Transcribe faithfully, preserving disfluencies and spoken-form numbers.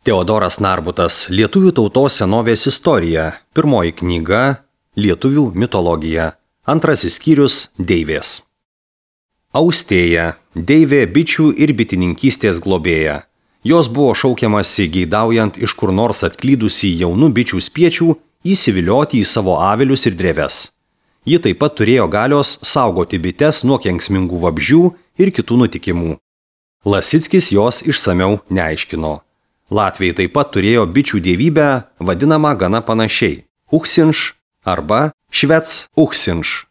Teodoras Narbutas, Lietuvių tautos senovės istorija. Pirmoji knyga – Lietuvių mitologija. Antrasis skyrius – Deivės. Austėja – deivė bičių ir bitininkystės globėja. Jos buvo šaukiamasi geidaujant iš kur nors atklydusi jaunų bičių spiečių įsivilioti į savo avilius ir dreves. Ji taip pat turėjo galios saugoti bites nuo kenksmingų vabzdžių ir kitų nutikimų. Lasickis jos išsamiau neaiškino. Latviai taip pat turėjo bičių dievybę, vadinamą gana panašiai – Uksinš arba Švec Uksinš.